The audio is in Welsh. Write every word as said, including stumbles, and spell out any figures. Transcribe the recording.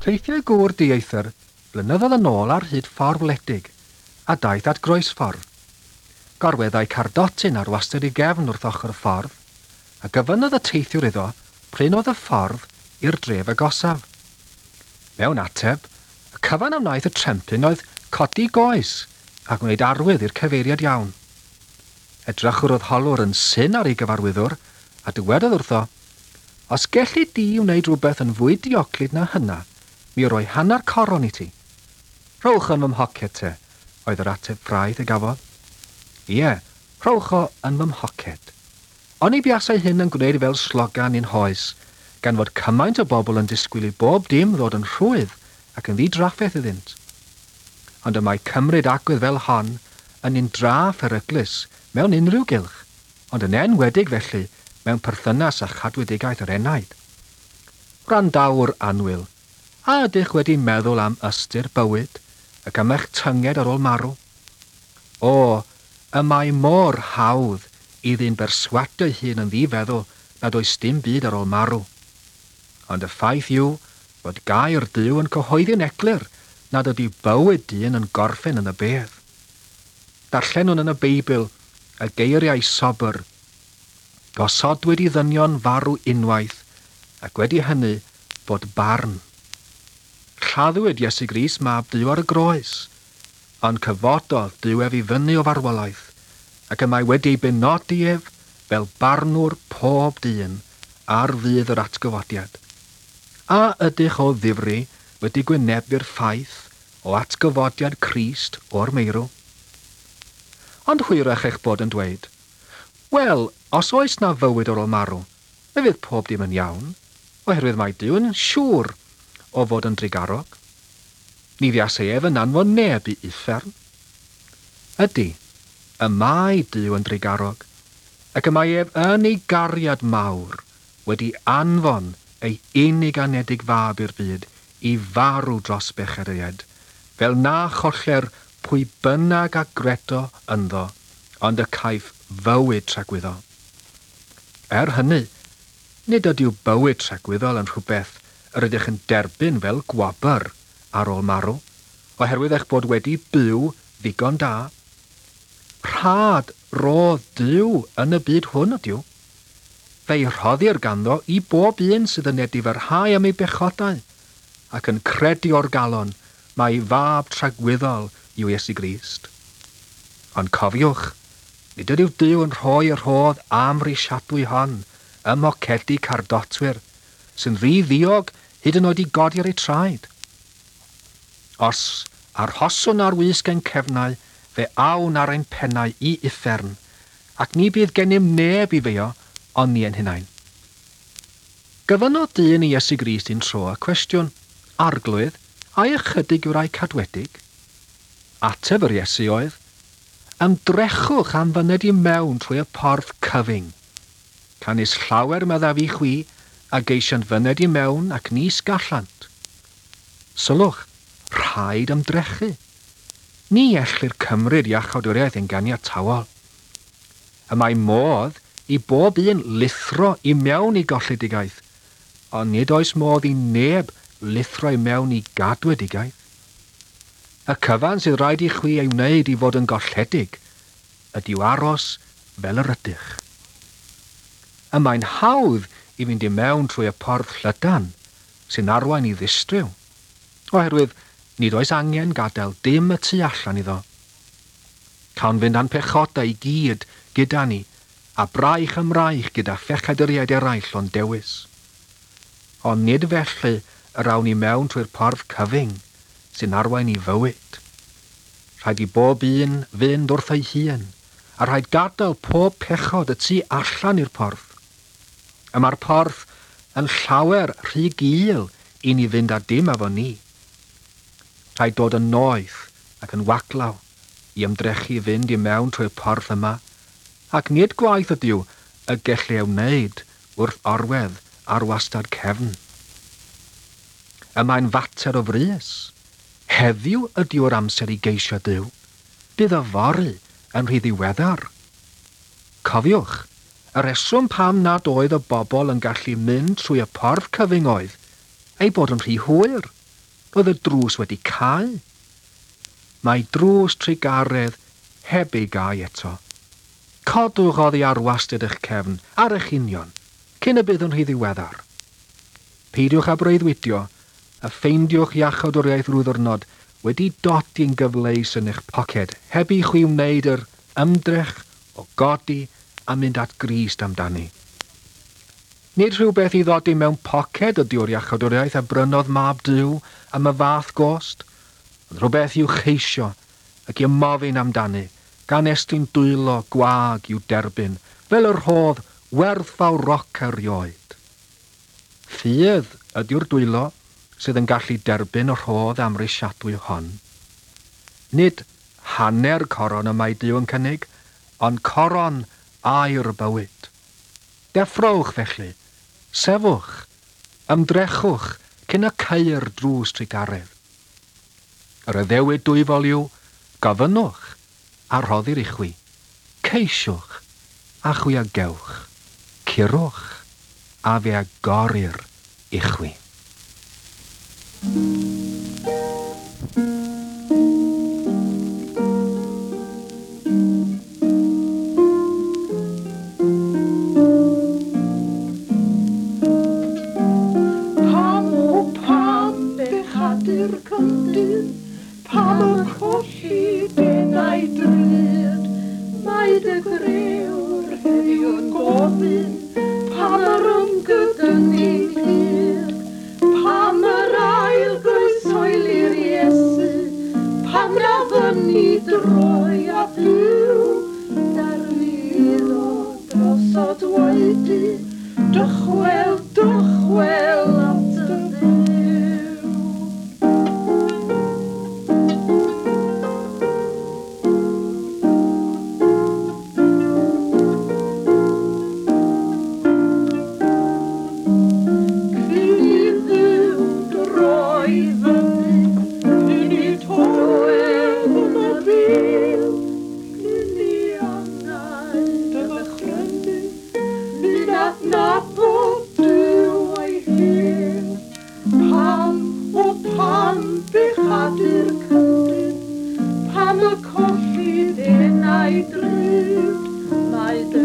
Teithiau gŵr dieithr blynyddoedd yn ôl ar hyd ffordd wledig a daeth at groesffordd. Gorweddai cardotyn ar wastad ei gefn wrth ochr y ffordd, a gofynnodd y teithiwr iddo p'run oedd y ffordd i'r dref agosaf. Mewn ateb, y cyfan a wnaeth y trempyn oedd codi goes a gwneud arwydd i'r cyfeiriad iawn. Edrychodd yr holwr yn syn ar ei gyfarwyddwr a dywedodd wrtho, "Os gelli di wneud rhywbeth yn fwy dioclyd na hynna, mi roi hanner coron i ti." "Rhowch yn fy mhoced te," oedd yr ateb ffraeth a gafodd. Ie, rhowch o yn fy mhoced. Oni buasai hyn yn gwneud fel slogan i'n hoes, gan fod cymaint o bobl yn disgwyl i bob dim ddod yn rhwydd ac yn ddidrafferth iddynt. Ond y mae cymryd agwedd fel hon yn un dra pheryglus mewn unrhyw gylch, ond yn enwedig felly mewn perthynas â chadwedigaeth yr enaid. Wrandawr annwyl, a ydych wedi meddwl am ystyr bywyd ac am eich tynged ar ôl marw? O, y mae mor hawdd i ddyn berswadio ei hun yn ddifeddwl nad oes dim byd ar ôl marw. Ond y ffaith yw fod gair Duw yn cyhoeddi'n eglur nad ydy bywyd dyn yn gorffen yn y bedd. Darllenwn yn y Beibl y geiriau sobr, "Gosodwyd i ddynion farw unwaith, ac wedi hynny bod barn." Lladdwyd Iesu Grist mab Duw ar y groes, ond cyfododd Duw ef i fyny o farwolaeth, ac y mae wedi ei benodi ef fel barnwr pob dyn ar ddydd yr atgyfodiad. A ydych o ddifri wedi gwynebu'r ffaith o atgyfodiad Crist o'r meirw? Ond hwyrach eich bod yn dweud, "Wel, os oes na fywyd ar ôl marw, fe fydd pob dim yn iawn, oherwydd mae Duw yn siŵr o fod yn drugarog. Ni fuasai ef yn anfon neb i uffern." Ydy, y mae Duw yn drugarog, ac y mae ef yn ei gariad mawr wedi anfon ei unig anedig fab i'r byd i farw dros bechaduriaid, fel na choller pwy bynnag a gredo ynddo, ond y caiff fywyd tragwyddol. Er hynny, nid ydyw bywyd tragwyddol yn rhywbeth yr ydych yn derbyn fel gwobr ar ôl marw, oherwydd eich bod wedi byw ddigon da. Rhad rodd Duw yn y byd hwn ydyw. Fe'i rhoddir ganddo i bob un sydd yn edifarhau am ei bechodau, ac yn credu o'r galon mai fab tragwyddol yw Iesu Grist. Ond cofiwch, nid ydyw Duw yn rhoi y rhodd amhrisiadwy hon ym mhocedi cardotwyr, sy'n rhy ddiog hyd yn oed i godi ar eu traed. Os arhoswn ar wisg ein cefnau, fe awn ar ein pennau i uffern, ac ni bydd gennym neb i feio, ond ni ein hunain. Gofynnodd dyn i Iesu Grist un tro y cwestiwn, "Arglwydd, ai ychydig yw'r rhai cadwedig?" Ateb yr Iesu oedd, "Ymdrechwch am fyned i mewn trwy y porth cyfyng. Canys llawer, meddaf i chwi, a geisiant fyned i mewn ac nis gallant." Sylwch, rhaid ymdrechu. Ni ellir cymryd iachawdwriaeth yn ganiatawol. Y mae modd i bob un lithro i mewn i golledigaeth, ond nid oes modd i neb lithro i mewn i gadwedigaeth. Y cyfan sydd rhaid i chwi ei wneud i fod yn golledig ydyw aros fel yr ydych. Y mae'n hawdd i fynd i mewn trwy y porth llydan sy'n arwain i ddistryw, oherwydd nid oes angen gadael dim y tu allan iddo. Cawn fynd â'n pechodau i gyd gyda ni, a braich ym mraich gyda phechaduriaid eraill o'n dewis. Ond nid felly yr awn i mewn trwy'r porth cyfyng sy'n arwain i fywyd. Rhaid i bob un fynd wrth ei hun, a rhaid gadael pob pechod y tu allan i'r porth. Y mae'r porth yn llawer rhy gul i ni fynd â dim efo ni. Rhaid dod yn noeth ac yn waglaw i ymdrechu i fynd i mewn trwy'r porth yma, ac nid gwaith ydyw y gellir ei wneud wrth orwedd ar wastad cefn. Y mae'n fater o frys. Heddiw ydyw'r amser i geisio Duw. Bydd yfory yn rhy ddiweddar. Cofiwch, y reswm pam nad oedd y bobl yn gallu mynd trwy y porth cyfyng oedd ei bod yn rhy hwyr. Roedd y drws wedi cau. Mae drws trugaredd heb ei gau eto. Codwch oddi ar wastad eich cefn, ar eich union, cyn y bydd yn rhy ddiweddar. Peidiwch â breuddwydio, a ffeindiwch iachawdwriaeth rhyw ddiwrnod wedi dodi'n gyfleus yn eich poced, heb i chwi wneud yr ymdrech o godi a mynd at Grist amdani. Nid rhywbeth i ddodi mewn poced ydyw'r iachawdwriaeth a brynodd mab Duw am y fath gost, ond rhywbeth i'w cheisio ac i ymofyn amdani, gan estyn dwylo gwag i'w derbyn, fel y rhodd werthfawroca erioed. Ffydd ydyw'r dwylo sydd yn gallu derbyn y rhodd amhrisiadwy hon. Nid hanner coron y mae Duw yn cynnig, ond coron aur bywyd. Deffrowch felly, sefwch, ymdrechwch cyn y caeir drws trugaredd. Yr addewid dwyfol yw, gofynnwch a rhoddir i chwi, ceisiwch a chwi a gewch, curwch a fe agorir i chwi. Pam o pam bechadur cyndyn, pam y colli denau drud, mae dy grëwr heddiw'n gofyn, pam yr ymgydynnu'n hyd, pam yr ail groesoeli'r Iesu, pam na fyny droi a byw, darliddo drosod waedu, dychwel, dychwel at dy Dduw. Cyn i Dduw droi fyny, cyn i toedd yn y bil, cyn i angau dy ddychrynu, mynd adnabod Duw ei hun. Pam, o pam bechadur cyndyn, pam y colli denau drud, mae dy